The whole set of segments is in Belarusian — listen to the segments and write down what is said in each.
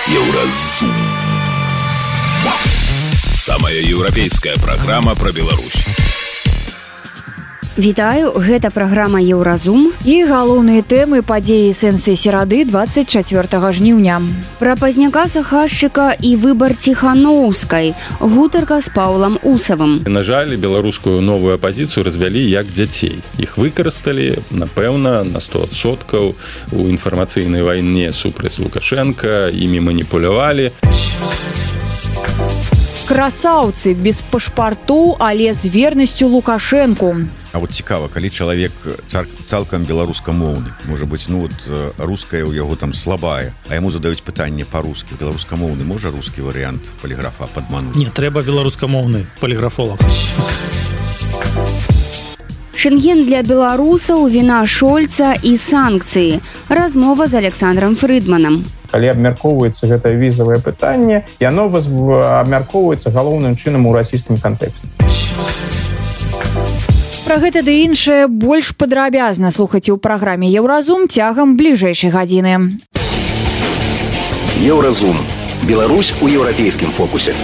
Еўразум. Самая еўрапейская праграма пра Беларусь. Вітаю, гэта праграма Еўразум. І галоўныя тэмы падзеі сэнсы серады 24 жніўня. Пра пазняка Сахашчыка і выбар Ціханоўскай. Гутарка з Паўлам Усавым. На жаль, беларускую новую апазіцыю развялі як дзяцей. Іх выкарысталі, напэўна, на 100% у інфармацыйнай вайне супраць Лукашенка, імі маніпулявалі. Красаўцы без пашпартоў, але з вернасцю Лукашэнку. А вот цікава, калі чалавек цалкам беларускамоўны, можа быць, руская ў яго там слабая, а яму задаюць пытанне па-руску. Беларускамоўны можа рускі варыянт паліграфа падмануць? Не, трэба беларускамоўны паліграфолог. Шэнген для беларусаў, віна Шольца і санкцыі. Размова з Александром Фрыдманам. Калі абмяркоўваецца гэтае візавае пытанне, яно абмяркоўваецца галоўным чынам у расійскім кантэксце. Пра гэта ды іншае больш падрабязна слухайце ў праграме Еўразум цягам бліжэйшай гадзіны. Еўразум. Беларусь у еўрапейскім фокусе.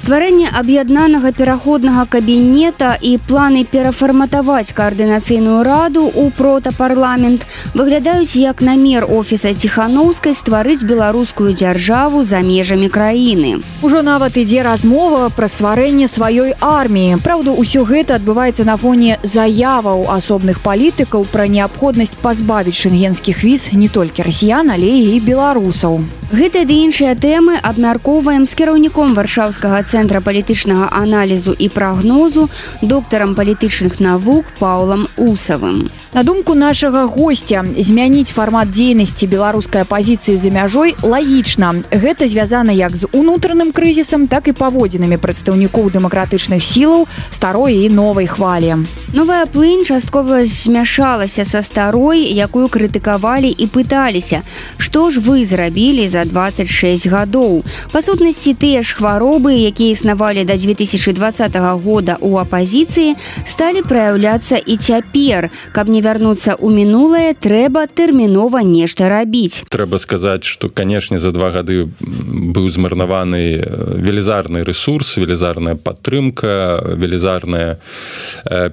Стварэнне аб'яднанага пераходнага кабінета і планы перафарматаваць каардынацыйную раду ў протапарламент выглядаюць як намер офіса Ціханоўскай стварыць беларускую дзяржаву за межамі краіны. Ужо нават ідзе размова пра стварэнне сваёй арміі. Праўда, усё гэта адбываецца на фоне заяваў асобных палітыкаў пра неабходнасць пазбавіць шэнгенскіх віз не толькі расіян, але і беларусаў. Гэтыя ды іншыя тэмы абмяркоўваем з кіраўніком Варшаўскага цэнтра палітычнага аналізу і прагнозу, доктарам палітычных навук Паўлам Усавым. На думку нашага госця, змяніць фармат дзейнасці беларускай апазіцыі за мяжой лагічна. Гэта звязана як з унутраным крызісам, так і паводзінамі прадстаўнікоў дэмакратычных сілаў старой і новай хвалі. Новая плынь часткова змяшалася са старой, якую крытыкавалі і пыталіся, што ж вы зрабілі за 26 гадоў. Па сутнасці, тыя ж хваробы, якія існавалі да 2020 года ў апазіцыі, сталі праяўляцца і цяпер. Каб не вярнуцца ў мінулае, трэба тэрмінова нешта рабіць. Трэба сказаць, што, канешне, за 2 гады быў змарнаваны велізарны ресурс, велізарная падтрымка, велізарная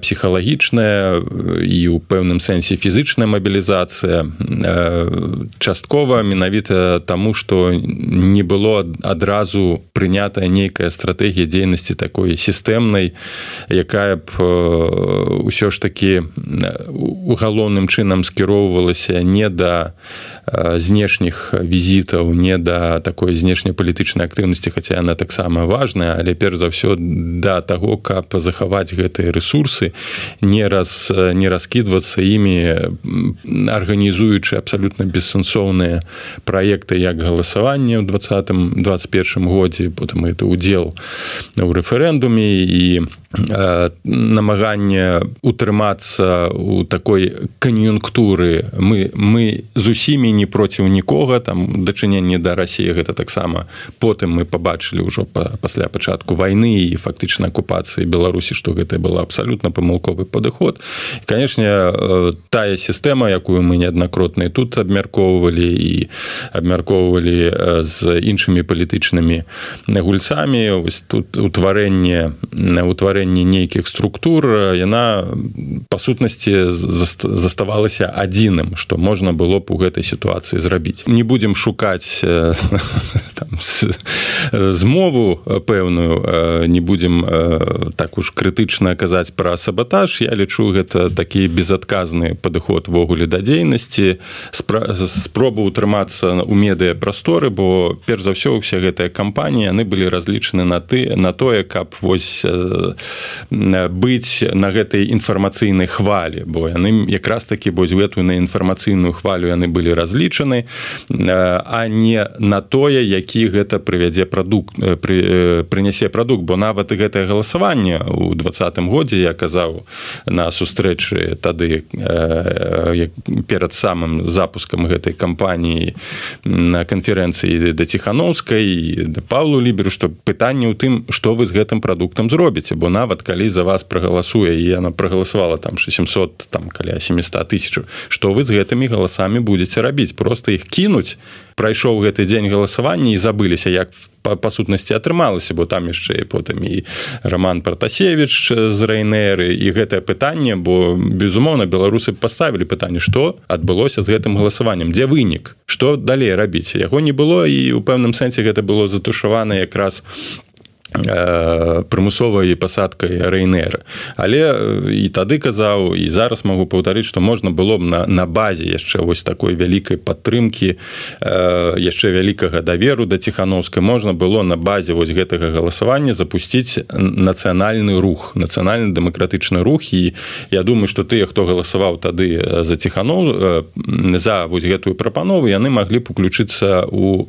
псіхалагічная і ў пэўным сэнсе фізычная мабілізацыя. Часткова менавіта таму, што не было адразу прынятая нейкая стратэгія дзейнасці такой сістэмнай, якая б ўсё ж такі галоўным чынам скіроўвалася не да знешніх візітаў, не да такой знешнепалітычнай актыўнасці, хаця яна таксама важная, але перш за ўсё да таго, каб захаваць гэтыя ресурсы, не раскідвацца імі, арганізуючы абсалютна бессэнсоўныя праекты як галасаванне ў 2020-2021 годзе, потым гэта удзел у рэферэндуме і намаганне утрымацца ў такой кан'юнктуры. Мы з усімі не проціў нікога, там дачыненне да Расіі гэта таксама потым мы пабачылі ўжо пасля пачатку вайны і фактычна акупацыі Беларусі, што гэта было абсалютна памылковы падыход. І, канешне, тая сістэма, якую мы неаднакратна тут абмяркоўвалі і абмяркоўвалі з іншымі палітычнымі гульцамі, вось тут утварэнне нейкіх структур, яна па сутнасці заставалася адзіным, што можна было б у гэтай сітуацыі зрабіць. Не будзем шукаць змову пэўную, не будзем так уж крытычна казаць пра сабатаж. Я лічу, гэта такі безадказны падыход ввогуле да дзейнасці, спроба ўтрымацца ў медыяпрасторы, бо перш за ўсё уся гэтая кампанія, яны былі разлічаны на тое, каб вось быць на гэтай інфармацыйнай хвалі, бо яны якраз такі гэтую на інфармацыйную хвалю яны былі разлічаны, а не на тое, які гэта прывядзе прадукт, бо нават і гэтае галасаванне ў 2020 годзе я казаў на сустрэчы тады перад самым запускам гэтай кампаніі на канферэнцыі да Ціхановскай, да Паўлу Ліберу, што пытанне ў тым, што вы з гэтым прадуктам зробіце, бо нават калі за вас прагаласуе, і яна прагаласавала там 700, там каля 700 тысяч, што вы з гэтымі галасамі будзеце рабіць? Просто іх кінуць? Прайшоў гэты дзень галасавання і забыліся, як па сутнасці атрымалася, бо там яшчэ потым і Роман Пратасевіч з Райнеры, і гэтае пытанне, бо, безумоўна, беларусы паставілі пытанне, што адбылося з гэтым галасаваннем, дзе вынік, што далей рабіць? Яго не было, і ў пэўным сэнсе гэта было затушавана якраз прымусовай пасадкай Райнера. Але і тады казаў, і зараз магу паўтарыць, што можна было б на базе яшчэ вось такой вялікай падтрымкі, яшчэ вялікага даверу да Ціхановскай, можна было на базе вось гэтага галасавання запусціць нацыянальны рух, нацыянальна-дэмакратычны рух, і я думаю, што тыя, хто галасаваў тады за за вось гэтую прапанову, яны маглі б уключыцца ў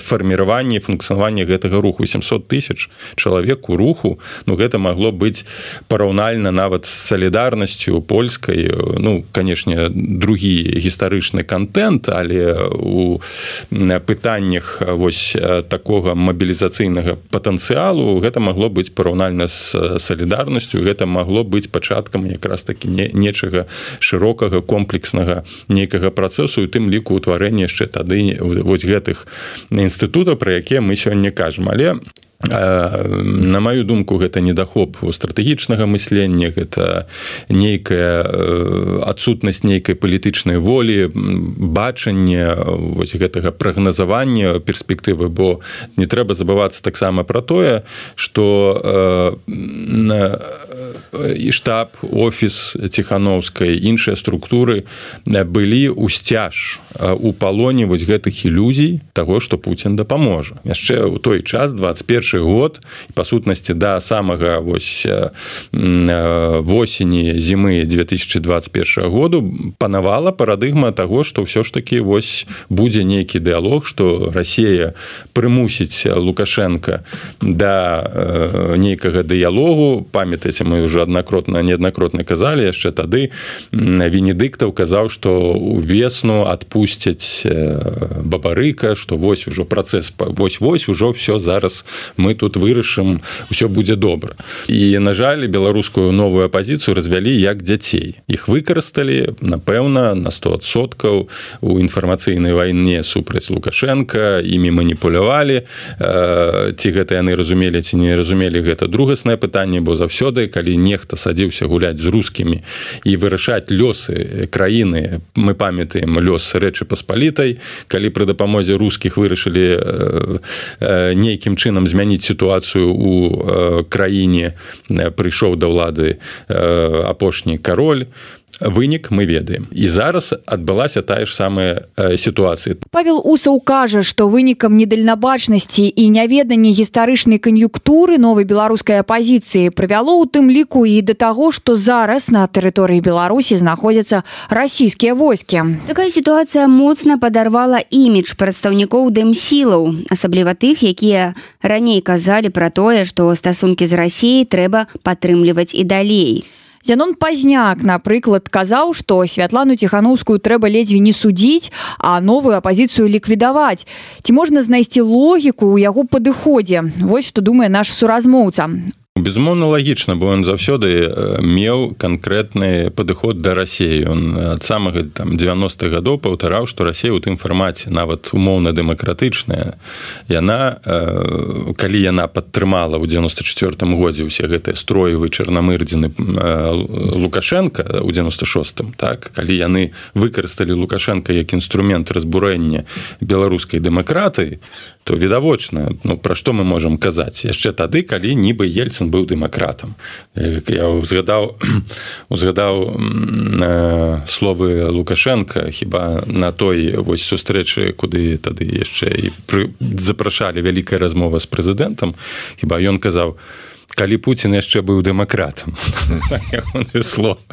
фарміраванне, функцыянаванне гэтага руху. 800 тысяч чалавек у руху, ну, гэта магло быць параўнальна нават з салідарнасцю польскай, ну, канешне, другі гістарычны контент, але у пытаннях вось такога мабілізацыйнага патэнцыялу гэта магло быць параўнальна з салідарнасцю, гэта магло быць пачаткам якраз такі нечага шырокага, комплекснага нейкага працэсу, і тым ліку ўтварэння яшчэ тады вось гэтых інстытутаў, пра якія мы сёння кажам. Але на маю думку, гэта недахоп стратэгічнага мыслення, гэта нейкая адсутнасць нейкай палітычнай волі, бачання вось гэтага прагназавання перспектывы, бо не трэба забывацца таксама пра тое, што і штаб, офіс Ціхановскай, іншыя структуры былі ў сцяж, у палоне вось гэтых ілюзій таго, што Пуцін дапаможа. Яшчэ ў той час, 21 год, па сутнасці да самага вось восені, зімы 2021 году панавала парадыгма таго, што ўсё ж такі вось будзе нейкі дыалог, што Расія прымусіць Лукашенка да нейкага дыялогу. Памятаеце, мы ўжо неаднакротна казалі, яшчэ тады Венедыктаў казаў, што увесну адпусцяць Бабарыка, што вось ужо працэс, вось ужо ўсё зараз мы тут вырашым, усё будзе добра. І, на жаль, беларускую новую апазіцыю развялі як дзяцей. Іх выкарысталі, напэўна, на 100% у інфармацыйнай вайне супраць Лукашенка, імі маніпулявалі. Ці гэта яны разумелі, ці не разумелі, гэта другаснае пытанне, бо заўсёды, калі нехта садзіўся гуляць з рускімі і вырашаць лёсы краіны, мы памятаем лёс Рэчы Паспалітай, калі пры дапамозе рускіх вырашылі нейкім чынам змяніць сітуацыю у краіне, прыйшоў да ўлады апошні кароль, вынік мы ведаем. І зараз адбылася тая ж самая сітуацыя. Павел Усаў кажа, што вынікам недальнабачнасці і няведанні гістарычнай кан'юнктуры новай беларускай апазіцыі прывяло ў тым ліку і да таго, што зараз на тэрыторыі Беларусі знаходзяцца расійскія войскі. Такая сітуацыя моцна падарвала імідж прадстаўнікоў дэмсілаў, асабліва тых, якія раней казалі пра тое, што стасункі з Расіяй трэба падтрымліваць і далей. Зянон Пазняк, напрыклад, казаў, што Святлану Ціхановскую трэба ледзьве не судзіць, а новую апазіцыю ліквідаваць. Ці можна знайсці логіку ў яго падыходзе? Вось што думае наш суразмоўца. Безумоўна, лагічна, бо ён заўсёды меў канкрэтны падыход да Расіі. Ён ад самага 90-х гадоў паўтараў, што Расія ў тым фармаце, нават умоўна дэмакратычная, яна, калі яна падтрымала ў 94-м годзе ўсе гэтыя строевы чарнамырдзіны Лукашенка ў 96-м, так, калі яны выкарысталі Лукашенка як інструмент разбурэння беларускай дэмакратыі, то відавочна, ну, пра што мы можам казаць? Яшчэ тады, калі нібы Ельцын быў дэмакратам. Я узгадаў словы Лукашенка, хіба на той вось сустрэчы, куды тады яшчэ і запрашалі вялікая размова з прэзідэнтам, хіба ён казаў: калі Путін яшчэ быў дэмакратам.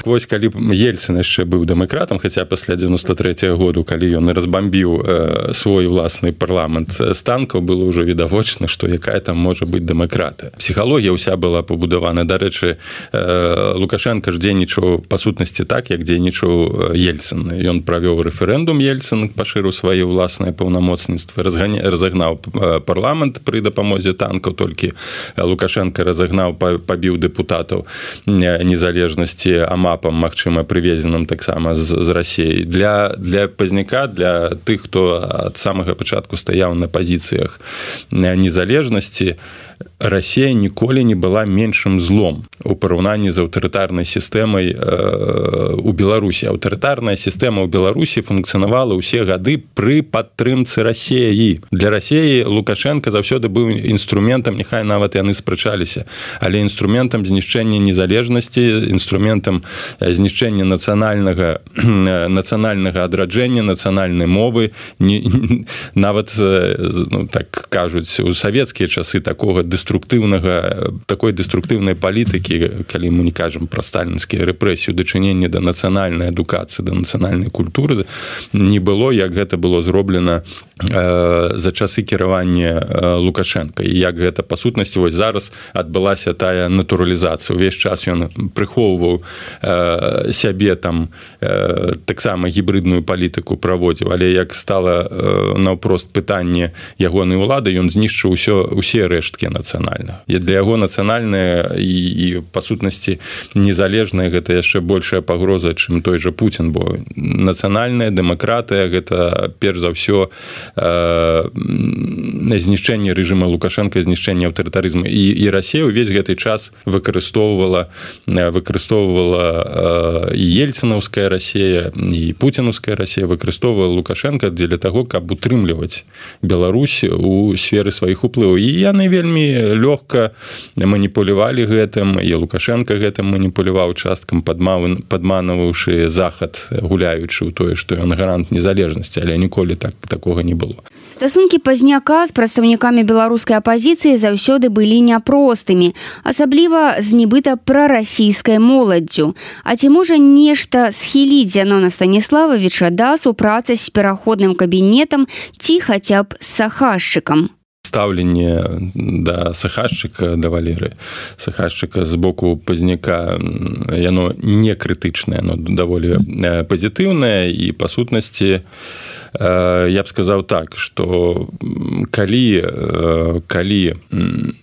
Вось калі Ельцин яшчэ быў дэмакратам, хаця пасля 93-го году, калі ён разбамбіў свой уласны парламент з танкаў, было ўжо відавочна, што якая там можа быць дэмакратыя. Псіхалогія ўся была пабудавана. Дарэчы, Лукашенко ж дзейнічаў па сутнасці так, як дзейнічаў Ельцин. Ён правёў рэферэндум, Ельцин пашырыў свае ўласныя паўнамоцніцтвы, разагнаў парламент пры дапамозе танкаў, толькі Лукашенко пабіў дэпутатаў незалежнасці амапам, магчыма, прывезеным таксама з Расіі. Для пазняка, для тых, хто ад самага пачатку стаяў на пазіцыях незалежнасці, Расія ніколі не была меншым злом у параўнанні з аўтарытарнай сістэмай у Беларусі. Аўтарытарная сістэма ў Беларусі функцыянавала ўсе гады пры падтрымцы Расіі. Для Расіі Лукашенко заўсёды быў інструментам, няхай нават яны спрачаліся, але інструментам знішчэння незалежнасці, інструментам знішчэння нацыянальнага адраджэння, нацыянальнай мовы. Нават, так кажуць, у савецкія часы такой дэструктыўнай палітыкі, калі мы не кажам пра сталінскія рэпрэсіі, дачыненне да нацыянальнай адукацыі, да нацыянальнай культуры, не было, як гэта было зроблена за часы кіравання Лукашенка. І як гэта, па сутнасці, вось зараз адбылася тая натуралізацыя. Увесь час ён прыхоўваў сябе там, таксама гібридную палітыку праводзіў, але як стала наўпрост пытанне ягонай улады, ён знішчыў усе рэшткі нацыянальнага. І для яго нацыянальная і па сутнасці незалежная гэта яшчэ большая пагроза, чым той жа Путін, бо нацыянальная дэмакратыя гэта перш за ўсё знішчэнне рэжыма Лукашенка, знішчэнне аўтарытарызму. І Расія ўвесь гэты час выкарыстоўвала і ельцынаўская Расія, і пуцінаўская Расія выкарыстоўвала Лукашенка дзеля таго, каб утрымліваць Беларусь у сферы сваіх уплываў. І яны вельмі лёгка маніпулявалі гэтым, і Лукашенко гэтым маніпуляваў часткам, падманаваўшы Захад, гуляючы ў тое, што ён гарант незалежнасці, але ніколі такога не было. Стасункі пазняка з прадстаўнікамі беларускай апазіцыі заўсёды былі няпростымі, асабліва з нібыта прарасійскай моладдзю. А ці можа нешта схіліць Зянона Станіслававіча да супрацы з пераходным кабінетам ці хаця б з Сахашчыкам? Стаўленне да Сахашчыка, да Валеры Сахашчыка з боку пазняка, яно не крытычнае, яно даволі пазітыўнае, і па сутнасці я б сказаў так, што калі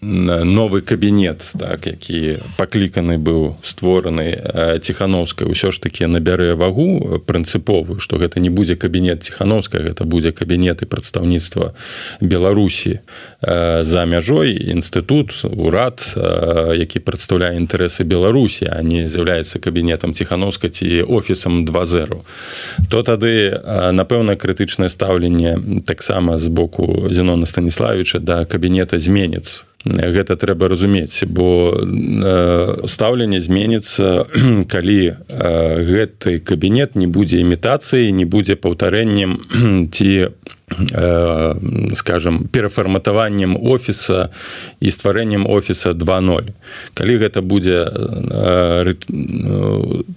новы кабінет, так, які пакліканы быў, створаны Ціхановскай, ўсё ж такі набярэ вагу прынцыповую, што гэта не будзе кабінет Ціхановскай, гэта будзе кабінет і прадстаўніцтва Беларусі за мяжой, інстытут, урад, які прадстаўляе інтарэсы Беларусі, а не з'яўляецца кабінетам Ціхановскай ці офісам 2.0, то тады, напэўна, крытычнае стаўленне таксама з боку Зянона Станіслававіча да кабінета зменіцца. Гэта трэба разумець, бо стаўленне зменіцца, калі гэты кабінет не будзе імітацыяй, не будзе паўтарэннем ці, скажем, перафарматаваннем офіса і стварэннем офіса 2.0. Калі гэта будзе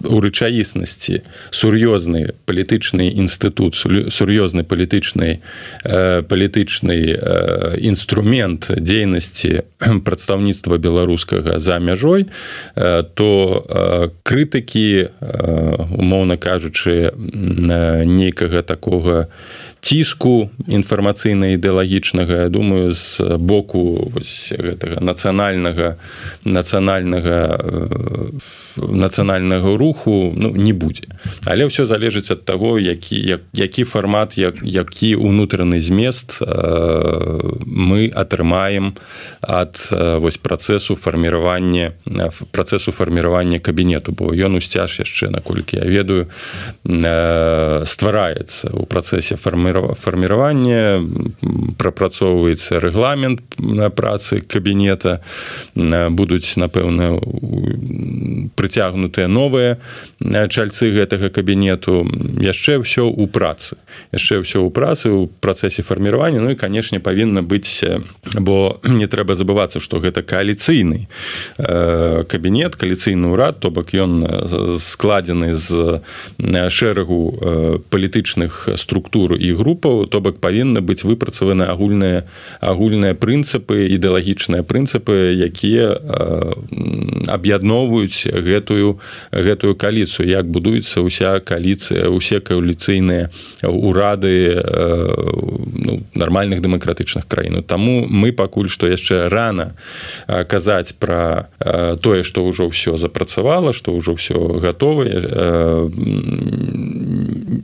у рэчаіснасці сур'ёзны палітычны інстытут, сур'ёзны палітычны інструмент дзейнасці прадстаўніцтва беларускага за мяжой, то крытыкі, умоўна кажучы, нейкага такога ціску інфармацыйна-ідэалагічнага, я думаю, з боку гэтага нацыянальнага руху не будзе. Але ўсё залежыць ад таго, які фармат, які ўнутраны змест мы атрымаем ад працэсу фарміравання кабінету, бо ён усцяж яшчэ, наколькі я ведаю, ствараецца ў працэсе фарміравання фарміраванне, прапрацоўваецца рэгламент працы кабінета, будуць, напэўна, прыцягнутыя новыя чальцы гэтага кабінету. Яшчэ ўсё ў працы. У працэсе фарміравання. Ну і, канешне, павінна быць, бо не трэба забывацца, што гэта кааліцыйны кабінет, кааліцыйны ўрад, то бок ён складзены з шэрагу палітычных структур і групаў, то бок павінны быць выпрацаваны агульныя прынцыпы, ідэалагічныя прынцыпы, якія аб'ядноўваюць гэтую кааліцыю, як будуецца ўся кааліцыя, усе кааліцыйныя ўрады нармальных дэмакратычных краін. Таму мы пакуль што яшчэ рана казаць пра тое, што ўжо ўсё запрацавала, што ўжо ўсё гатовае.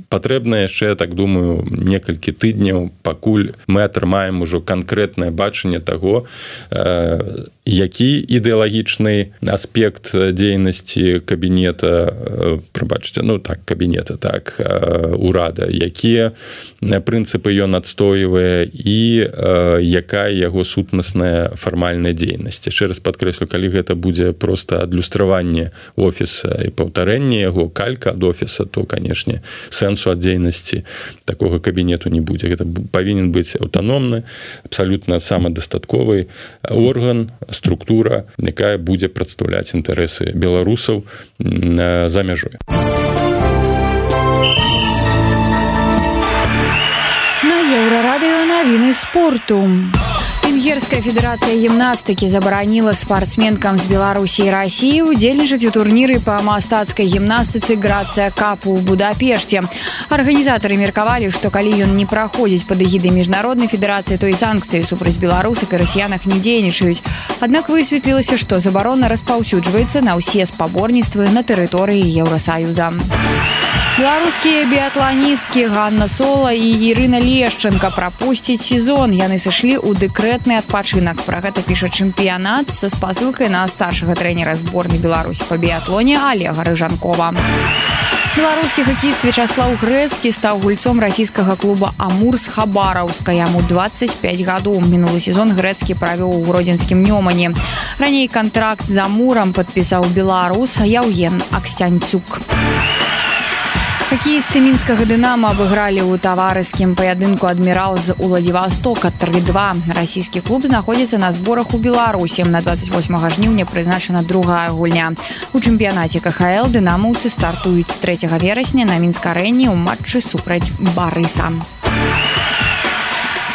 Патрэбна яшчэ, так думаю, некалькі тыдняў, пакуль мы атрымаем ужо канкрэтнае бачанне таго, які ідэалагічны аспект дзейнасці кабінета, урада, якія прынцыпы ён адстойвае і якая яго сутнасная фармальная дзейнасць. Яшчэ раз падкрэслю, калі гэта будзе проста адлюстраванне офіса і паўтарэнне яго, калька ад офіса, то, канешне, сэнсу ад дзейнасці такога кабінету не будзе. Гэта павінен быць аўтаномны, абсалютна самадастатковы орган, структура, якая будзе прадстаўляць інтарэсы беларусаў за мяжой. На Еўрарадыё навіны спорту. Венгерская федерация гимнастики забараніла спортсменкам з Беларусі і России удзельнічаць у турніры па мастацкай гімнастыцы Грацыя Кап у Будапешце. Арганізатары меркавалі, што калі ён не праходзіць пад эгідай міжнароднай федэрацыі, то і санкцыі супраць беларусак і расіянак не дзейнічаюць. Аднак высветлілася, што забарона распаўсюджваецца на ўсе спаборніцтвы на тэрыторыі Еўрасаюза. Беларускія біятланісткі Ганна Сола і Ірына Лешченка прапусцяць сезон. Яны сышлі ў дэкрэтны адпачынак. Пра гэта піша чэмпіянат са спасылкай на старшага трэнера зборнай Беларусі па біятлоне Олега Рыжанкова. Беларускі хакеіст Вячаслаў Грэцкі стаў гульцом расійскага клуба «Амур» з Хабараўска. Яму 25 гадоў. Мінулы сезон Грэцкі правёў у гродзенскім Нёмане. Раней кантракт з «Амурам» падпісаў беларус Яўген Аксянцюк. Хоккеисты мінскага «Дынама» абыгралі ў таварыскім паядынку «Адмірал» з Уладзівастока 3-2. Расійскі клуб знаходзіцца на зборах у Беларусі. На 28 жніўня прызначана другая гульня. У чэмпіянаце КХЛ дынамаўцы стартуюць 3 верасня на Мінск-арэне ў матчы супраць Барыса.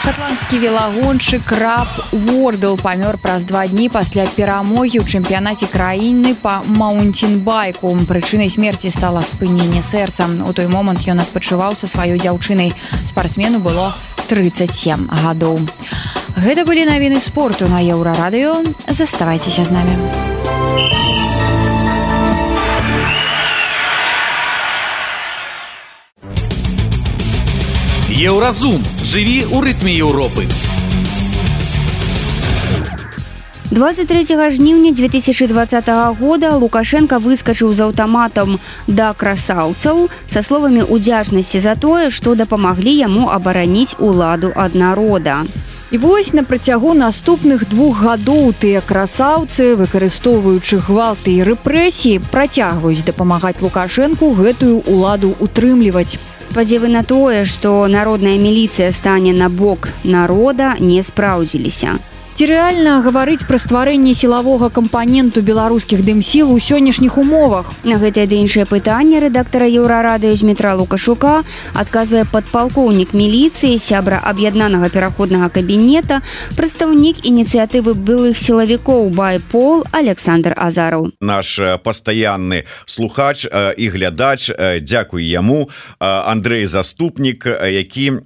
Шотландскі велагоншчык Раб Уордл памёр праз 2 дні пасля перамогі ў чэмпіянаце краіны па маунтінбайку. Прычынай смерці стала спыненне сэрца. У той момант ён адпачываў са сваёй дзяўчынай. Спартсмену было 37 гадоў. Гэта былі навіны спорту на Еўрарадыё. Заставайцеся з намі. Еўразум. Жыві ў рытме Еўропы. 23 жніўня 2020 года Лукашенко выскачыў з аўтаматам да красаўцаў са словамі ўдзячнасці за тое, што дапамаглі яму абараніць уладу ад народа. І вось на працягу наступных 2 гадоў тыя красаўцы, выкарыстоўваючы гвалты і рэпрэсіі, працягваюць дапамагаць Лукашэнку гэтую уладу утрымліваць. Спадзевы на тое, што народная міліцыя стане на бок народа, не спраўдзіліся. Ці рэальна гаварыць пра стварэнне сілавога кампаненту беларускіх дымсіл у сённяшніх умовах? На гэтае ды іншае пытанне рэдактара Еўрарадыё Змітра Лукашука адказвае падпалкоўнік міліцыі, сябра аб'яднанага пераходнага кабінета, прадстаўнік ініцыятывы былых сілавікоў «Байпол» Александр Азараў. Наш пастаянны слухач і глядач, дзякуй яму, Андрэй Заступнік, які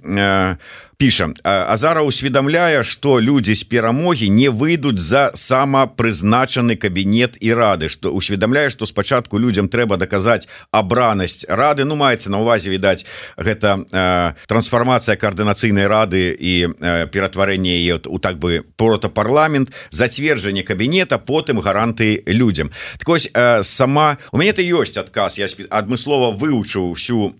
пішам. Азаров усведамляе, што людзі з перамогі не выйдуць за самапрызначаны кабінет і рады, што усведамляе, што спачатку людзям трэба даказаць абранасць рады. Ну, маецца на ўвазе, відаць, гэта трансфармацыя каардынацыйнай рады і ператварэнне яе у так бы протапарламент, зацверджанне кабінета, потым гаранты людзям. Так вось, сама... У мяне это ёсць адказ, я адмыслова вывучыў всю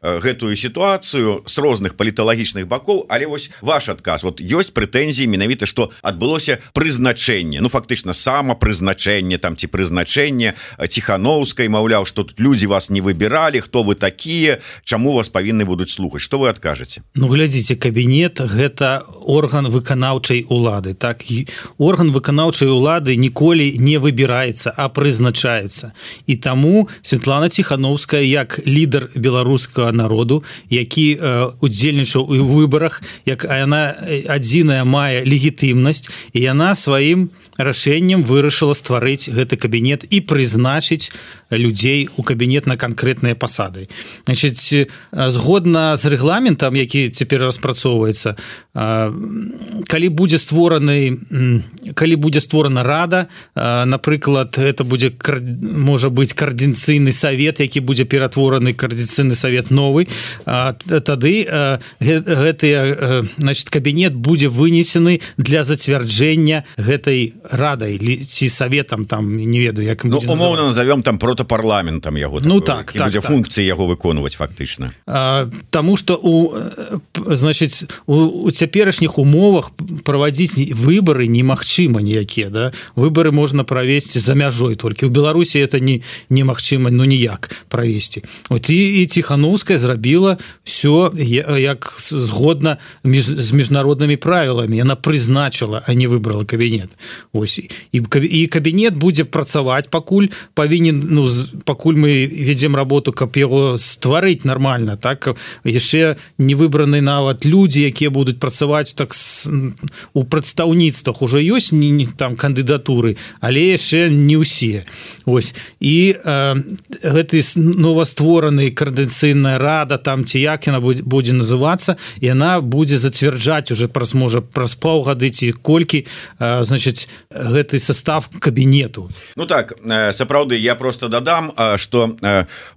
гэтую сітуацыю з розных паліталагічных бакоў, але вось ваш адказ. Вот ёсць прэтэнзіі менавіта, што адбылося прызначэнне, ну фактычна самапрызначэнне там ці прызначэнне Ціхановскай, маўляў, што тут людзі вас не выбіралі, хто вы такія, чаму вас павінны будуць слухаць. Што вы адкажаце? Ну глядзіце, кабінет гэта орган выканаўчай улады, так? Орган выканаўчай улады ніколі не выбіраецца, а прызначаецца. І таму Святлана Ціхановская як лідар беларускага народу, які удзельнічаў у выбарах, як яна адзіная мае легітымнасць, і яна сваім рашэннем вырашыла стварыць гэты кабінет і прызначыць людзей у кабінет на канкрэтныя пасады. Значыць, згодна з рэгламентам, які цяпер распрацоўваецца, калі будзе створана рада, напрыклад, это будзе, можа быць, координацыйны совет, які будзе ператвораны координацыйны совет новый, тады значит, кабінет будзе вынесены для зацвярджэння гэтай радай ці советам, там не ведаю, як будзе называцца. Умоўна назовем там протапарламентам яго, ну так, так, будзе функцыі яго выконваць фактычна. Таму што значыць, у цяперашніх умовах праводзіць выбары немагчыма ніякія, да? Выбары можна правесці за мяжой толькі. У Беларусі это немагчыма, ну ніяк правесці. Вот і Ціхановская зрабіла все як згодна з міжнароднымі правіламі. Яна прызначыла, а не выбрала кабінет. Ось. І кабінет будзе працаваць, пакуль павінен, ну, пакуль мы ведзем работу, каб яго стварыць нормально, так? Яшчэ не выбраны нават людзі, якія будуць працаваць так у прадстаўніцтвах. Ужо ёсць там кандыдатуры, але яшчэ не ўсе. Ось. І гэты новаствораны координацыйная рада, там ці як яна будзе называцца, і яна будзе зацвярджаць уже праз паўгады ці колькі, значыць, гэты состав кабінету. Ну так, сапраўды, я просто дадам, што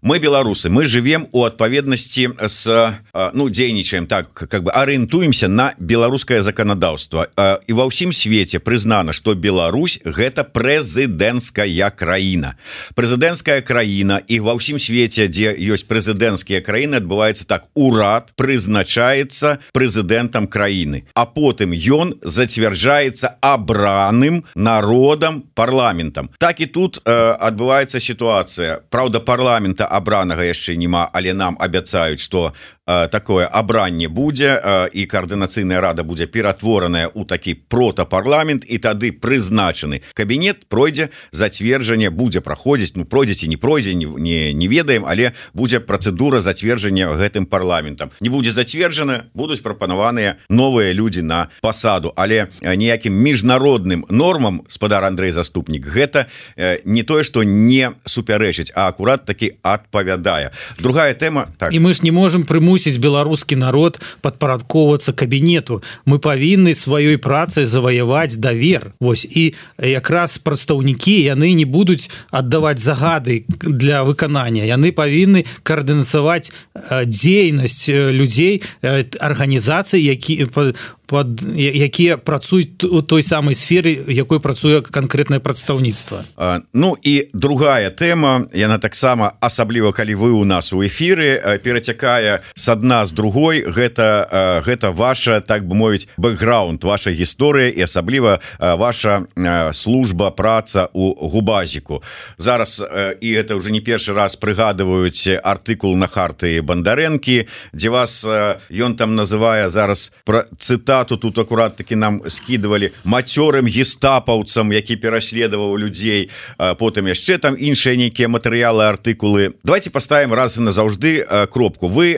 мы беларусы, мы живем у адпаведнасці з, ну, дзейнічаем так, как бы арыентуемся на беларускае заканадаўства. І ва ўсім свеце прызнана, што Беларусь гэта прэзідэнцкая краіна. Прэзідэнцкая краіна, і ва ўсім свеце, дзе ёсць прэзідэнцкія краіны, адбываецца так: урад прызначаецца прэзідэнтам краіны, а потым ён зацвярджаецца абраным народам парламентам. Так і тут адбываецца сітуацыя. Праўда, парламента абранага яшчэ нема, але нам абяцаюць, што такое абранне будзе, і координацыйная рада будзе ператвораная ў такі протапарламент, і тады прызначаны кабінет пройдзе зацверджанне, будзе праходзіць, ну пройдзе ці не пройдзе, не ведаем, але будзе працэдура зацверджання гэтым парламентам. Не будзе зацверджана, будуць прапанаваныя новыя людзі на пасаду, але ніякім міжнародным нормам, спадар Андрэй Заступнік, гэта не тое, што не супярэчыць, а акурат такі адпавядае. Другая тэма, так. І мы ж не можам прымусіць беларускі народ падпарадковацца кабінету. Мы павінны сваёй працай заваяваць давер. Вось. І якраз прадстаўнікі, яны не будуць аддаваць загады для выканання. Яны павінны каардынацаваць дзейнасць людзей, арганізацый, якія працуюць у той самай сферы, якой працуе канкрэтнае прадстаўніцтва. Ну і другая тэма, яна таксама, асабліва калі вы у нас у эфіры, перацякае с адна з другой, гэта ваша, так бы мовіць, бэкграунд, ваша гісторыя і асабліва ваша служба, праца у Губазіку. Зараз, і гэта ўжо не першы раз прыгадваюць артыкул на Хартыі Бандарэнкі, дзе вас ён там называе зараз цытату, тут акурат таки нам скидывалі мацёрым гестапаўцам, які пераследаваў людзей, потым яшчэ там іншыя нейкія матэрыялы, артыкулы. Давайте поставім раз і назаўжды кропку. Вы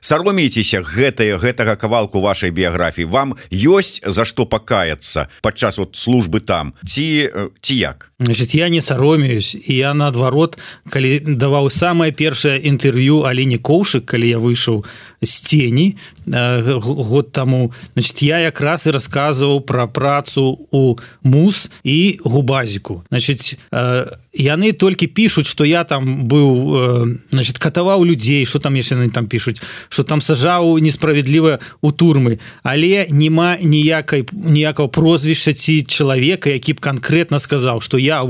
саромеецеся гэтага кавалку вашай біяграфіі? Вам ёсць за што пакаяцца падчас вот службы там? Ці як? Значит, я не саромеюсь, і я наадварот, калі даваў самае першае інтэрв'ю Аліне Коўшык, калі я выйшаў з цені, год таму, значит, я якраз і расказваў пра працу у МУС і Губазіку. Значит, яны толькі пішуць, што я там быў, значит, катаваў людзей, што там яшчэ яны там пішуць, што там сажаў несправядліва у турмы, але няма ніякага прозвішча ці чалавека, які б канкрэтна сказаў, што я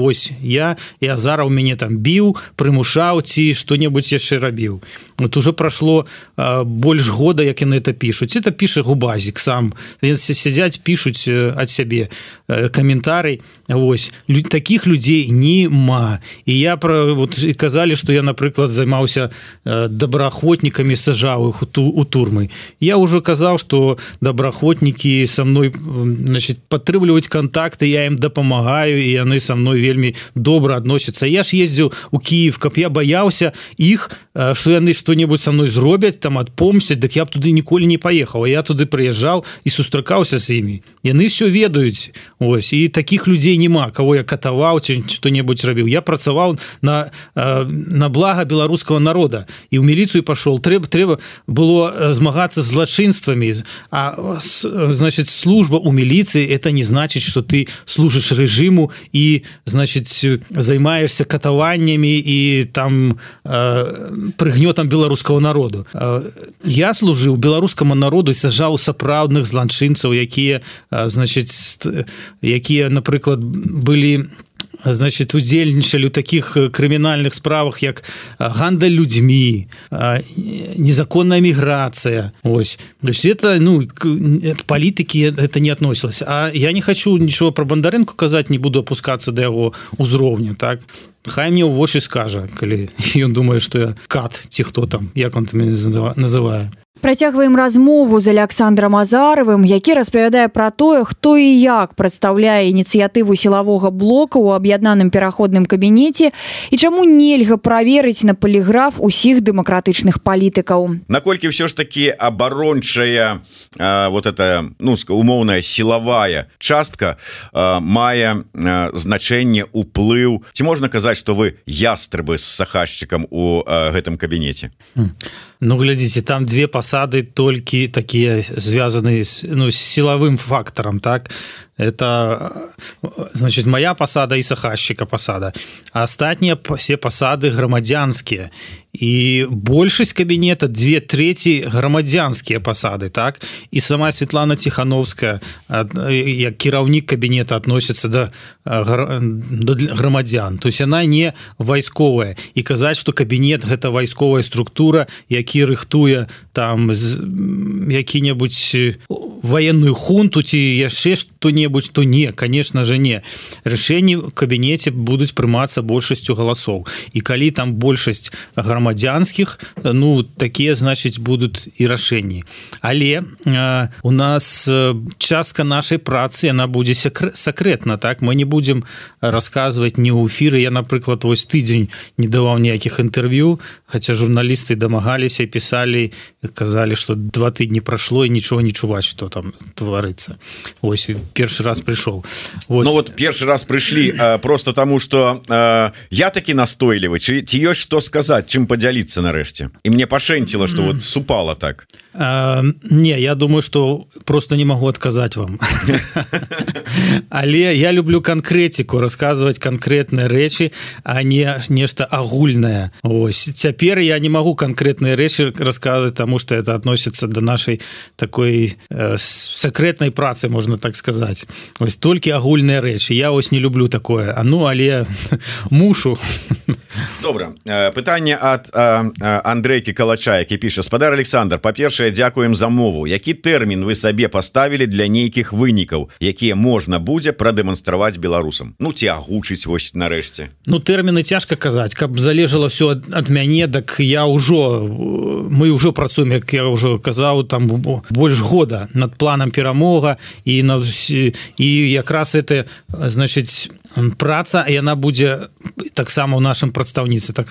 і Азараў мяне там біў, прымушаў ці што-небудзь яшчэ рабіў. Вот уже прошло больш года, як яны это пішуць. Это піша Губазік сам. Сядзяць, пішуць ад сябе каментарый. Вось. Такіх людзей нема. І я казалі, што я, напрыклад, займаўся добраахвотнікамі, сажаў іх у турмы. Я уже казаў, што добраахвотнікі са мной, значит, падтрымліваюць контакты, я ім дапамагаю, і яны са мной вельмі добра адносяцца. Я ж ездзіў у Киев, каб я баяўся іх, што яны што-небудзь са мной зробяць, там адпомсцяць, дык я б туды ніколі не паехаў. А я туды прыязджаў і сустракаўся з імі. Яны все ведаюць. Ось. І такіх людзей няма, кого я катаваў ці што-небудзь рабіў. Я працаваў на блага беларускага народа. І ў міліцыю пашоў. Трэба было змагацца з злачынствамі. А, значит, служба у міліцыі это не значит, что ты служыш рэжыму і, значит, займаешься катаваннямі і там прыгнётам беларускага народу. Я служыў беларускаму народу і сажаў сапраўдных злачынцаў, якія, значит, якія, напрыклад, былі, значит, удзельнічалі ў такіх крымінальных справах, як гандаль людзьмі, незаконная міграцыя. Ось. То есть это, палітыкі это не относілася. А я не хочу нічого про Бондаренко казаць, не буду опускацца да яго ўзроўня, так? Хай мне ў вочы скажа, калі ён думае, што я кат, ці хто там, як он там мяне называе. Працягваем размову з Александром Азаровым, які распавядае пра тое, хто і як прадстаўляе ініцыятыву сілавога блока ў аб'яднаным пераходным кабінеце і чаму нельга праверыць на паліграф усіх дэмакратычных палітыкаў. Наколькі ўсё ж такі абарончая вот эта, умоўная сілавая частка мае значэнне, уплыў. Ці можна казаць, што вы ястрыбы з сахашчыкам у гэтым кабінеце? Глядзіце, там две пасады толькі такія звязаныя з сілавым фактарам, так? Это, значит, моя пасада і сахашчыка пасада. А астатнія все пасады грамадзянскія. І большасць кабінета, 2/3 грамадзянскія пасады, так? І сама Светлана Тихановская, як кіраўнік кабінета, адносіцца да грамадзян. То есть яна не вайсковая. І казаць, што кабінет гэта вайсковая структура, які рыхтуе там які-небудзь военную хунту ці яшчэ што-небудзь, то не, конечно же не. Рашэнні в кабінеце будуць прымацца большасцю галасоў. І калі там большасць грамадзянскіх, такія, значыць, будуць і рашэнні. Але у нас частка нашай працы, яна будзе сакрэтна, так? Мы не будзем расказваць ні ў эфіры. Я, напрыклад, вось тыдзень не даваў ніякіх інтэрв'ю, хаця журналісты дамагаліся, пісалі, казалі, што 2 тыдні прашло і нічого не чуваць, што там творыцца. Вось, першы раз пришел. Вот першы раз пришли просто тому, что я таки настойлівы, ці ёсць што сказаць, чым падзяліцца нарэшце. І мне пашэнціла, што вот супала так. Не, я думаю, что просто не могу отказать вам. Але я люблю конкретику, рассказывать конкретные речи, а не нечто агульное. Ось. Цяпер я не могу конкретные речи рассказывать, потому что это относится до нашей такой секретной працы, можно так сказать. Ось только агульные речи. Я ось не люблю такое. Але мушу. Добра. Пытанне ад Андрейкі Калача, які піша: спадар Александр, па-першае, дзякуем за мову. Які тэрмін вы сабе паставілі для нейкіх вынікаў, якія можна будзе прадэманстраваць беларусам? Ці агучыць вось нарэшце. Тэрміны цяжка казаць. Каб залежала ўсё ад мяне, так мы ўжо працуем, як я ўжо казаў, там больш года над планам перамога, і якраз это, значыць, праца, яна будзе таксама ў нашым прадстаўніцтве,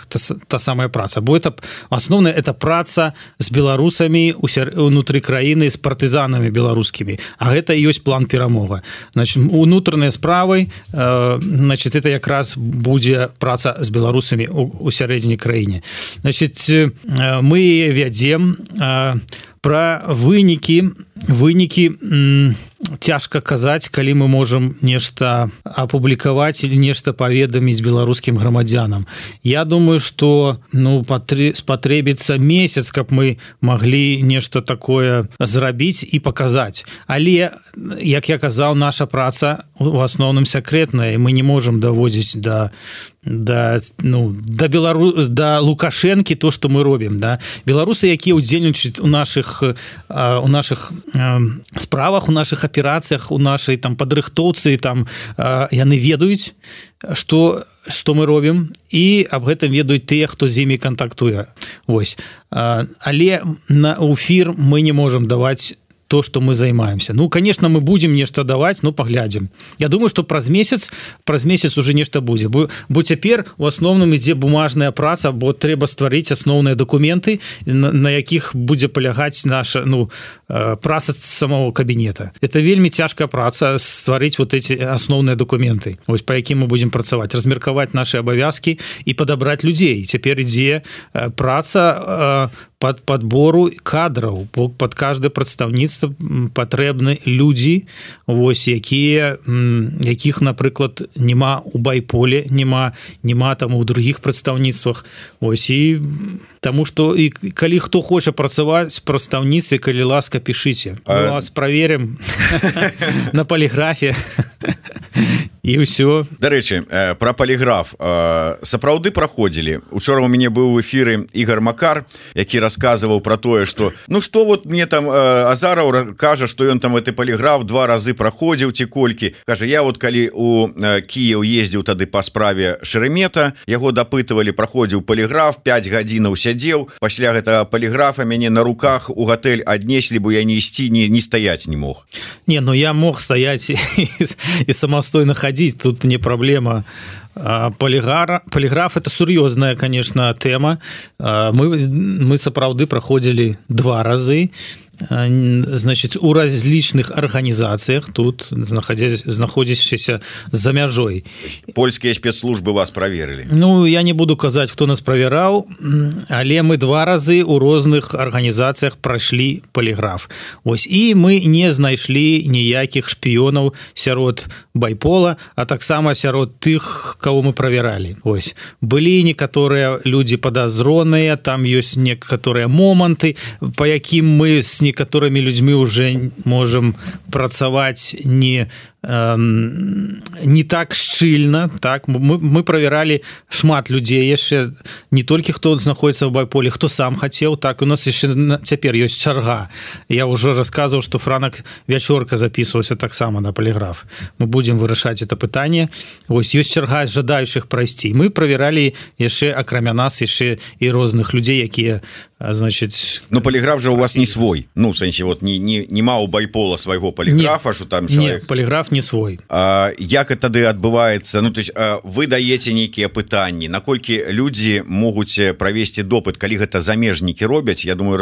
та самая праца. Бо это асноўная, это праца з беларусамі унутры краіны з партызанамі беларускімі, а гэта і ёсць план перамога. Значит, унутраныя справы, значит, это якраз будзе праца з беларусамі у сярэдзіне краіне. Значит, мы вядзем пра вынікі цяжка казаць, калі мы можам нешта апублікаваць или нешта паведаміць беларускім грамадзянам. Я думаю, что спатрэбіцца месяц, каб мы маглі нешта такое зрабіць і паказаць. Але, як я казаў, наша праца у асноўным сакрэтная, і мы не можам даводзіць да Лукашэнкі то, што мы робім. Да? Беларусы, якія ўдзельнічаюць у нашых справах, у наших аперацыях, у нашай там падрыхтоўцы, там яны ведаюць, што мы робім, і аб гэтым ведаюць тыя, хто з імі кантактуе. Вось. Але на эфир мы не можам даваць то, что мы займаемся. Ну, конечно, мы будем нешта даваць, ну, паглядзім. Я думаю, что праз месяц уже нешта будзе. Бо цяпер у асноўным ідзе бумажная праца, бо трэба стварыць асноўныя дакументы, на якіх будзе палягаць наша праца самого кабінета. Это вельмі цяжкая праца стварыць вот эти асноўныя дакументы, вось па якім мы будем працаваць, размеркаваць наши абавязкі і падабраць людзей. Цяпер ідзе праца под подбору кадраў, под каждое прадстаўніцтва патрэбны людзі, вось, якіх, напрыклад, няма у байполе, няма там у других прадстаўніцтвах. Вось, і таму што і калі хто хоча працаваць в прадстаўніцтве, калі ласка, пішыце. Мы вас праверым на поліграфе. І ўсё. Дарэчы, пра поліграф сапраўды праходзілі. Учора у мяне быў у эфіры Ігор Макар, які расказваў пра тое, што што вот мне там Азараў кажа, што ён там гэты поліграф 2 разы праходзіў ці колькі. Кажа, я вот калі у Кіеў ездзіў тады па справе Шеремета, яго дапытывалі, праходзіў поліграф, 5 гадзінаў сядзеў, пасля гэтага поліграфа мяне на руках у гатэль аднеслі, бо я не ісці, не стаяць не мог. Не, ну я мог стаяць і самастойна ходить, тут не проблема. Полиграф это сур'ёзная, конечно, тэма. Мы сапраўды праходзілі 2 разы. Значит, у различных организациях тут знаходзячыся за мяжой. Польскія спецслужбы вас проверили? Ну, я не буду казаць, хто нас проверял, але мы 2 разы у розных организациях прошли полиграф. Ось, и мы не знайшлі ніякіх шпіёнаў сярод байпола, а таксама сярод тых, кого мы проверяли. Ось, былі некаторыя люди подозроныя, там ёсць некаторыя моманты, по якім мы с некаторыми людьми уже можем працаваць не так шчыльна, так, мы проверяли шмат людзей яшчэ, не толькі хто знаходіцца ў байполе, хто сам хацеў, так, у нас яшчэ цяпер ёсць чарга. Я ўжо расказваў, што Франак Вячорка записываўся таксама на поліграф. Мы будем вырашаць это пытанне. Вось, ёсць чарга жадаючых прайсці. Мы проверяли яшчэ, акрамя нас, яшчэ і розных людзей, якія, значит... Ну, поліграф же у вас не свой. Ну, в сэнсе, вот, нема у байпола свайго поліграфа, што там чалавек... Не, поліграф не свой. Як тады адбываецца? Ну, то есть, вы даеце нейкія пытанні, наколькі людзі могуць правесці допыт, калі гэта замежнікі робяць? Я думаю,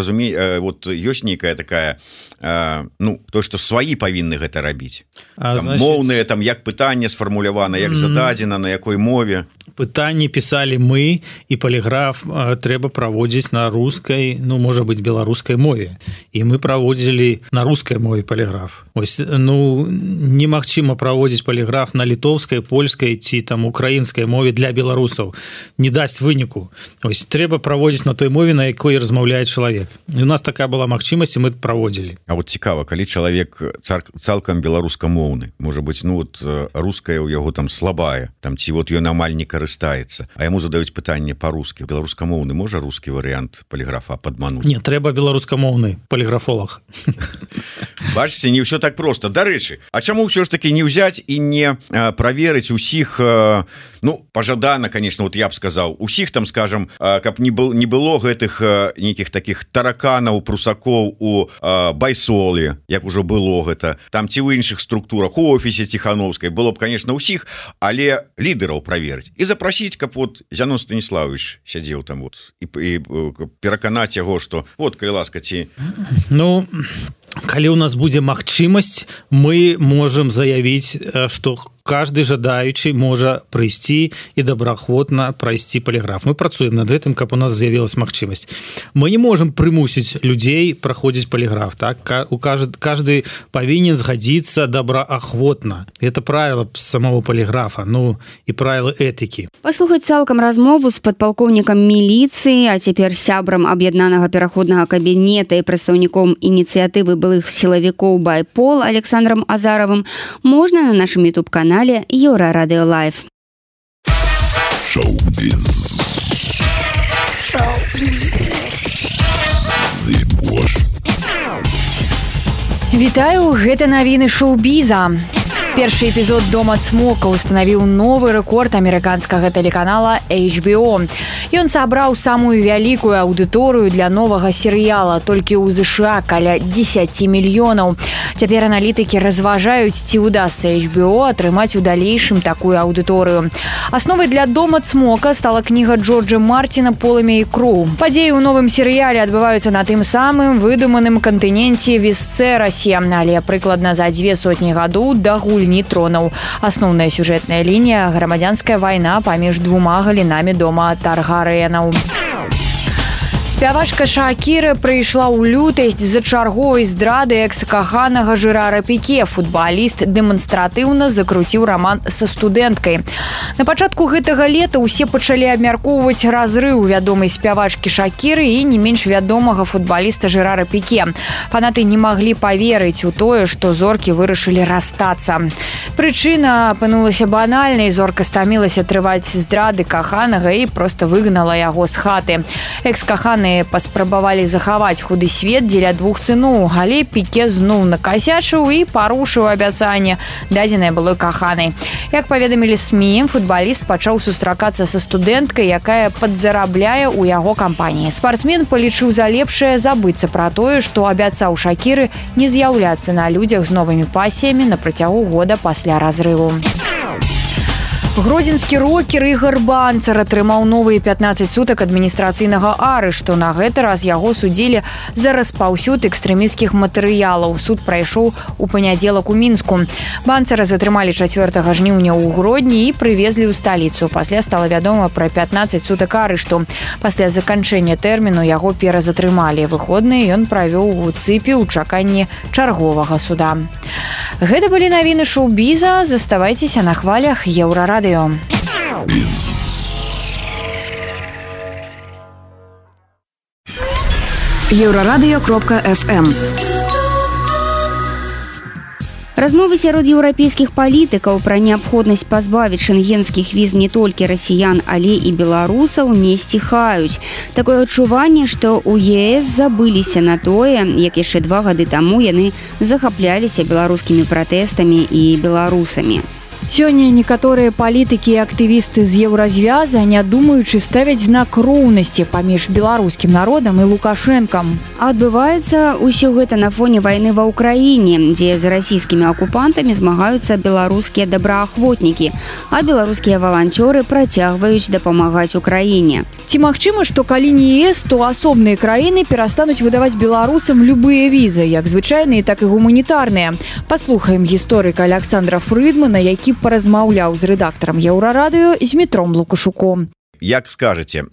вот ёсць нейкая такая, то, што сваі павінны гэта рабіць. Моўныя, там, як пытанне сфармулявана, як зададзена, на якой мове? Пытанні пісалі мы, і поліграф трэба праводзіць на рускай, ну, можа быць, беларускай мове. І мы праводзілі на рускай мове поліграф. Ось, ну, немагчыма праводзіць поліграф на літоўскай, польскай ці там украінскай мове для беларусаў. Не дасць выніку. Ось, трэба праводзіць на той мове, на якой размаўляе чалавек. І у нас такая была магчымасць, і мы праводзілі. А вот цікава, калі чалавек цалкам беларускамоўны, можа быць, ну, вот руская ў яго там слабая, там, ці вот ён амаль не карыстаецца, а яму задаюць пытанне па-рускі. Беларускамоўны можа рускі варыянт поліграфа падмануць? Не, трэба беларускамоўны поліграфолог. Бачыце, не ўсё так просто. Дарэчы, а чаму ўсё ж таки не ўзяць і не праверыць усіх, ну, пажадана, конечно, вот я б сказаў, усіх там, скажем, каб не было гэтых нейкіх таких тараканаў, прусакоў у айсолі, як ужо было гэта, там ці ў іншых структурах, у офісе Ціхановскай, было б, конечно, ўсіх, але лідараў праверыць і запрасіць, каб вот Зянон Станіславович сядзеў там вот і пераканаць яго, што вот, калі ласка, ці... Ну, калі у нас будзе магчымасць, мы можам заявіць, што каждый жадаючы можа прыйсці і добраахвотна прайсці поліграф. Мы працуем над гэтым, каб у нас з'явілась магчымасць. Мы не можам прымусіць людзей праходзіць поліграф, так? Каждый павінен згадзіцца добраахвотна. Это правило самого поліграфа, ну і правила этыкі. Паслухаць цалкам размову з падпалкоўнікам міліцыі, а цяпер сябрам аб'яднанага пераходнага кабінета і прадстаўніком ініцыятывы былых сілавікоў Байпол Александром Азаровым можна на нашым YouTube-канале Еўрарадыё Лайв. Вітаю, гэта навіны шоу-біза. Першы эпізод «Дома Цмока» устанавіў новы рэкорд амерыканскага тэлеканала HBO. Ён сабраў самую вялікую аўдыторыю для новага серыяла, толькі ў ЗША каля 10 мільёнаў. Цяпер аналітыкі разважаюць, ці ўдасца HBO атрымаць у далейшым такую аўдыторыю. Асновай для «Дома Цмока» стала кніга Джорджа Мартина «Полымя і кроў». Падзеі ў новым серыяле адбываюцца на тым самым выдуманым кантыненце Весцэрасе, але прыкладна за 200 гадоў да гульні тронаў. Асноўная сюжэтная лінія – грамадзянская вайна паміж двума галінамі дома Таргарыенаў. Спявачка Шакіра прыйшла ў лютасць з-за чарговай здрады экс-каханага Жерара Піке. Футбаліст дэманстратыўна закруціў раман са студэнткай. На пачатку гэтага лета ўсе пачалі абмяркоўваць разрыў вядомай спявачкі Шакіры і не менш вядомага футбаліста Жерара Піке. Фанаты не маглі паверыць у тое, што зоркі вырашылі расстацца. Прычына апынулася банальнай. Зорка стамілася трываць здрады каханага і проста выгнала яго з хаты. Экс-каханы паспрабавалі захаваць худы свет дзеля двух сыноў, але Піке зноў накасячыў і парушыў абяцанне, дадзенае былой каханай. Як паведамілі СМІ, футбаліст пачаў сустракацца са студэнткай, якая падзарабляе ў яго кампаніі. Спартсмен палічыў за лепшае забыцца пра тое, што абяцаў Шакіры не з'яўляцца на людзях з новымі пасіямі на працягу года пасля разрыву. Гродзенскі рокер Ігар Банцар атрымаў новыя 15 сутак адміністрацыйнага арышту. На гэты раз яго судзілі за распаўсюд экстрэмісцкіх матэрыялаў. Суд прайшоў у панядзелак у Мінску. Банцара затрымалі 4 жніўня ў Гродні і прывезлі ў сталіцу. Пасля стала вядома пра 15 сутак арышту. Пасля заканчэння тэрміну яго перазатрымалі. Выходныя ён правёў у цыпе ў чаканні чарговага суда. Гэта былі навіны шоу-біза. Заставайцеся на хвалях Еўрарадыё. Еўрарадыё.фм. Размовы сярод еўрапейскіх палітыкаў пра неабходнасць пазбавіць шэнгенскіх віз не толькі расіян, але і беларусаў не сціхаюць. Такое адчуванне, што ў ЕС забыліся на тое, як яшчэ 2 гады таму яны захапляліся беларускімі пратэстамі і беларусамі. Сёння некаторыя палітыкі і актывісты з еўразвяза, не думаючы, ставяць знак роўнасці паміж беларускім народам і Лукашэнкам. Адбываецца ўсё гэта на фоне вайны ва ўкраіне, дзе з расійскімі акупантамі змагаюцца беларускія добраахвотнікі, а беларускія валанцёры працягваюць дапамагаць Украіне. Ці магчыма, што калі не ЕС, то асобныя краіны перастануць выдаваць беларусам любыя візы, як звычайныя, так і гуманітарныя. Паслухаем гісторыка Александра Фрыдмана, які паразмаўляў з рэдактарам Еўрарадыё Змітром Лукашуком. Як скажаце,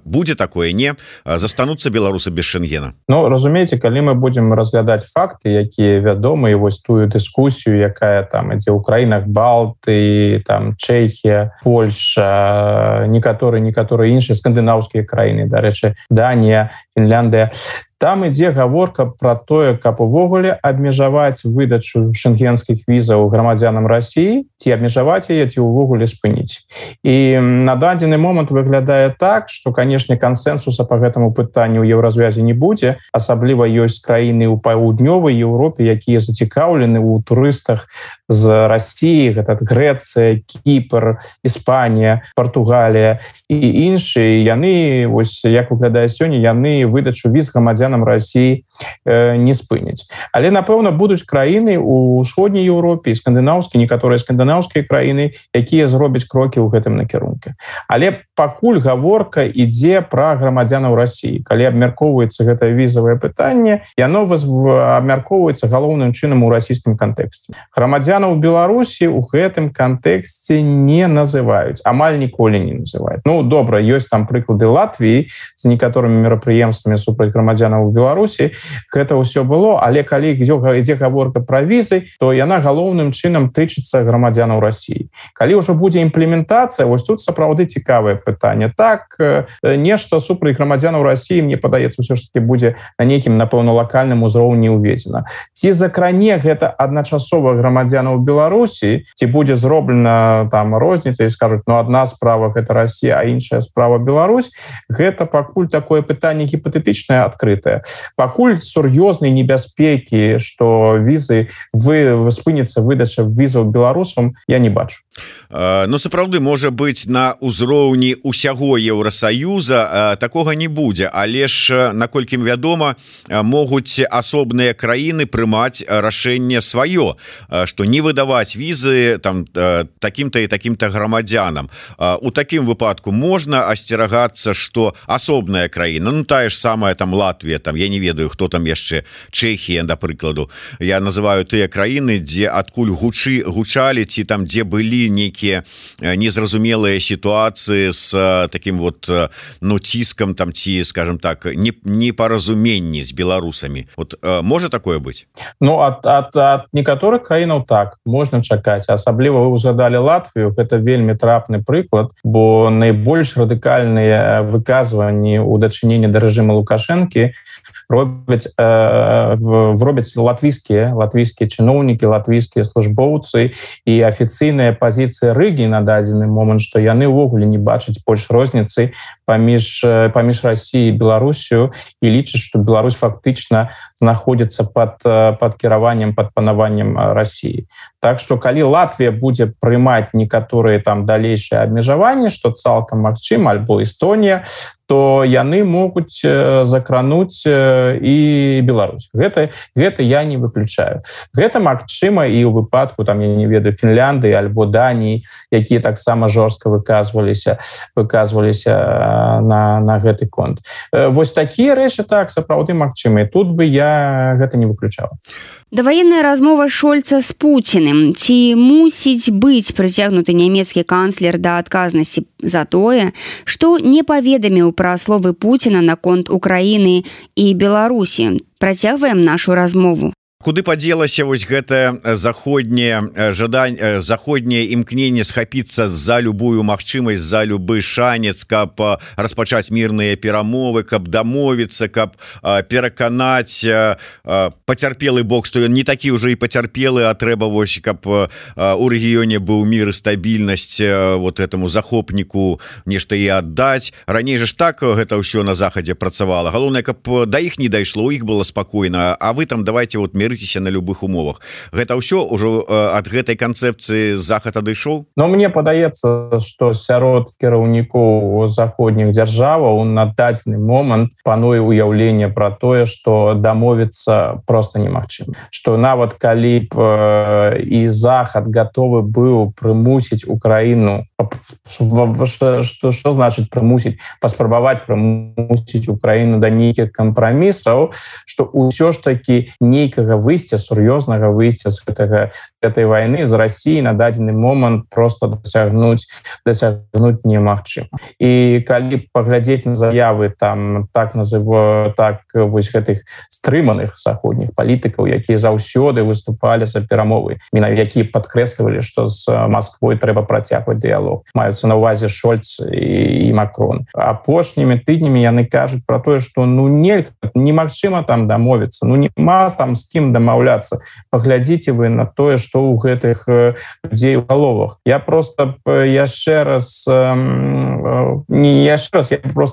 будзе такое, не? Застануцца беларусы без Шэнгена? Ну, разумееце, калі мы будзем разглядаць факты, якія вядомыя, вось тую дыскусію, якая там ідзе ў краінах Балты, там Чэхія, Польша, некаторыя іншыя скандынаўскія краіны, дарэчы, Данія, Фінляндыя, там ідзе гаворка пра тое, каб увогуле абмежаваць выдачу шэнгенскіх візаў грамадзянам Расіі, ці абмежаваць яе, ці ўвогуле спыніць. І на дадзены момант выглядае так, што, канешне, кансэнсуса па гэтаму пытанню ў еўразвязе не будзе. Асабліва ёсць краіны ў паўднёвай Еўропе, якія зацікаўлены ў турыстах з Расіі, гэта Грэцыя, Кіпр, Іспанія, Партугалія і іншыя. Яны, вось як выглядае сёння, яны выдачу віз грамадзянам грамадзянам России не спыніць. Але напэўна будуць краіны у ўсходняй Еўропе і скандынаўскія, некаторыя скандынаўскія краіны, якія зробяць крокі ў гэтым накірунку. Але пакуль гаворка ідзе пра грамадзянаў России. Калі абмяркоўваецца гэтае візавае пытанне, яно абмяркоўваецца галоўным чынам у расійскім кантэксце. Грамадзянаў Беларусі ў гэтым кантэксце не называюць, амаль ніколі не называюць. Ну, добра, ёсць там прыклады Латвіі з некаторымі мерапрыемствамі супраць грамадзянаў Беларусі. Гэта ўсё было, але калі ідзе гаворка пра візы, то яна галоўным чынам тычыцца грамадзянаў России. Калі ўжо будзе імплементацыя, вось тут сапраўды цікавае пытанне. Так, нешта супраць грамадзянаў России, мне падаецца, ўсё ж таки будзе на нейкім, напэўна, лакальным узроўні ўведзена. Ці закране гэта адначасова грамадзянаў Беларусі, ці будзе зроблена там розніца і скажуць, ну, адна справа гэта Россия, а іншая справа Беларусь, гэта пакуль такое пытанне гіпатэтычнае, адкрытае. Пакуль сур'ёзнай небяспекі, што візы спыніцца выдача візаў беларусам, я не бачу. Ну, сапраўды, можа быць, на ўзроўні ўсяго Еўрасаюза такога не будзе, але ж, наколькі вядома, могуць асобныя краіны прымаць рашэнне сваё, што не выдаваць візы там такім-то і такім-то грамадзянам. У такім выпадку можна асцерагацца, што асобная краіна, ну, тая ж самая там Латвія, там, я не ведаю, хто там яшчэ, Чэхія, да прыкладу, я называю тыя краіны, дзе адкуль гучалі, ці там, дзе былі нейкія незразумелыя сітуацыі з таким вот, ну, ціскам там, ці, скажем так, непаразуменні з беларусамі. Вот можа такое быць? Ну, ад некаторых краінаў так, можна чакаць. Асабліва вы узгадалі Латвію, гэта вельмі трапны прыклад, бо найбольш радыкальныя выказванні ў дачыненні да рэжыма Лукашэнкі робяць латвійскія чыноўнікі, латвійскія службоўцы, і афіцыйная пазіцыя Рыгі на дадзены момант, што яны ўвогуле не бачаць больш розніцы паміж Россией і Беларусю, і лічаць, што Беларусь фактычна знаходзіцца пад кіраваннем, пад панаваннем России. Так што калі Латвія будзе прымаць некаторыя там далейшыя абмежаванні, што цалкам магчыма, альбо Эстонія, то яны могуць закрануць і Беларусь. Гэта я не выключаю. Гэта магчыма і ў выпадку, там, я не ведаю, Фінляндыі альбо Даніі, якія таксама жорстка выказваліся на гэты конт. Вось такія рэчы так сапраўды магчымыя. Тут бы я гэта не выключала. Даваенная размова Шольца з Пуціным. Ці мусіць быць прыцягнуты нямецкі канцлер да адказнасці за тое, што не паведаміў пра словы Пуціна наконт Украіны і Беларусі? Працягваем нашу размову. Куды падзелася вось гэта заходняе імкненне схапіцца за любую магчымасць, за любы шанец, каб распачаць мірныя перамовы, каб дамовіцца, каб пераканаць пацярпелы бок, што ён не такі ўжо і пацярпелы, а трэба вось, каб у рэгіёне быў мір і стабільнасць вот этому захопніку нешта і аддаць. Раней жа ж так гэта ўсё на захадзе працавала. Галоўнае, каб да іх не дайшло, у іх было спакойна, а вы там давайте вот мірыцеся на любых умовах. Гэта ўсё ўжо ад гэтай канцэпцыі захад адышоў? Но мне падаецца, што сярод кіраўнікоў заходніх дзяржаваў на дадзены момант пануе ўяўленне пра тое, што дамовіцца проста немагчыма. Што нават калі б і захад гатовы быў прымусіць Украіну, што значыць прымусіць, паспрабаваць прымусіць Украіну да нейкіх кампрамісаў, што ўсё ж такі нейкага выйсця, сур'ёзнага выйсця з гэтай вайны з Россией на дадзены момант просто дасягнуць немагчыма. І калі паглядзець на заявы там так вось гэтых стрыманых заходніх палітыкаў, якія заўсёды выступалі за перамовы, якія падкрэслівалі, што з Масквой трэба працягваць дыялог. Маюцца на ўвазе Шольц і Макрон. Апошнімі тыднямі яны кажуць пра тое, што ну немагчыма там дамовіцца, ну нема там з кім будем дамаўляцца, паглядзіце вы на тое, што ў гэтых людзей у галовах. Я просто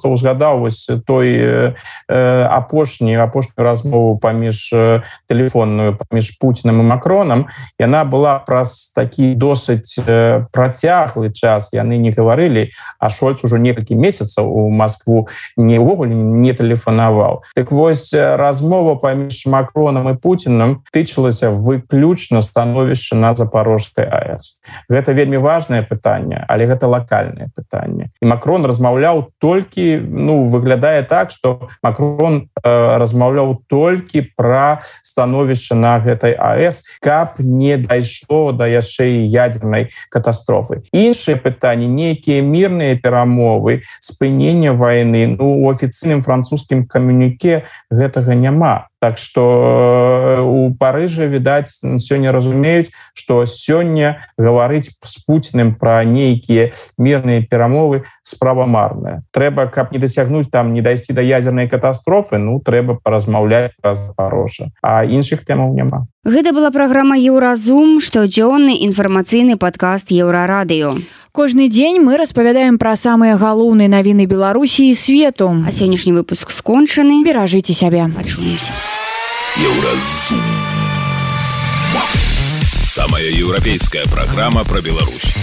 узгадаў вось той апошнюю размову тэлефонную паміж Пуціным і Макронам. Яна была праз такі досыць працяглы час. Яны не гаварылі, а Шольц ужо некалькі месяцаў у Москву увогуле не тэлефанаваў. Так вось размова паміж Макронам і Пуціным тычылася выключна становішча на Запорожскай АЭС. Гэта вельмі важнае пытанне, але гэта лакальнае пытанне. І Макрон размаўляў толькі, выглядае так, што Макрон размаўляў толькі пра становішча на гэтай АЭС, каб не дайшло да яшчэ і ядзернай катастрофы. Іншыя пытанні, нейкія мірныя перамовы, спынення вайны, у афіцыйным французскім камюніке гэтага няма. Так што у Парыжы, відаць, сёння разумеюць, што сёння гаварыць з Пуціным пра нейкія мірныя перамовы справа марная. Трэба, каб не дасягнуць не дайсці да ядзернай катастрофы, трэба паразмаўляць пра Запорожжа. А іншых тэмаў няма. Гэта была праграма «Еўразум», штодзённы інфармацыйны падкаст Еўрарадыё. Кожны дзень мы распавядаем пра самыя галоўныя навіны Беларусі і свету. А сённяшні выпуск скончаны. Беражыце сябе. Пачуемся. Еўразум. Самая еўрапейская программа про Беларусь.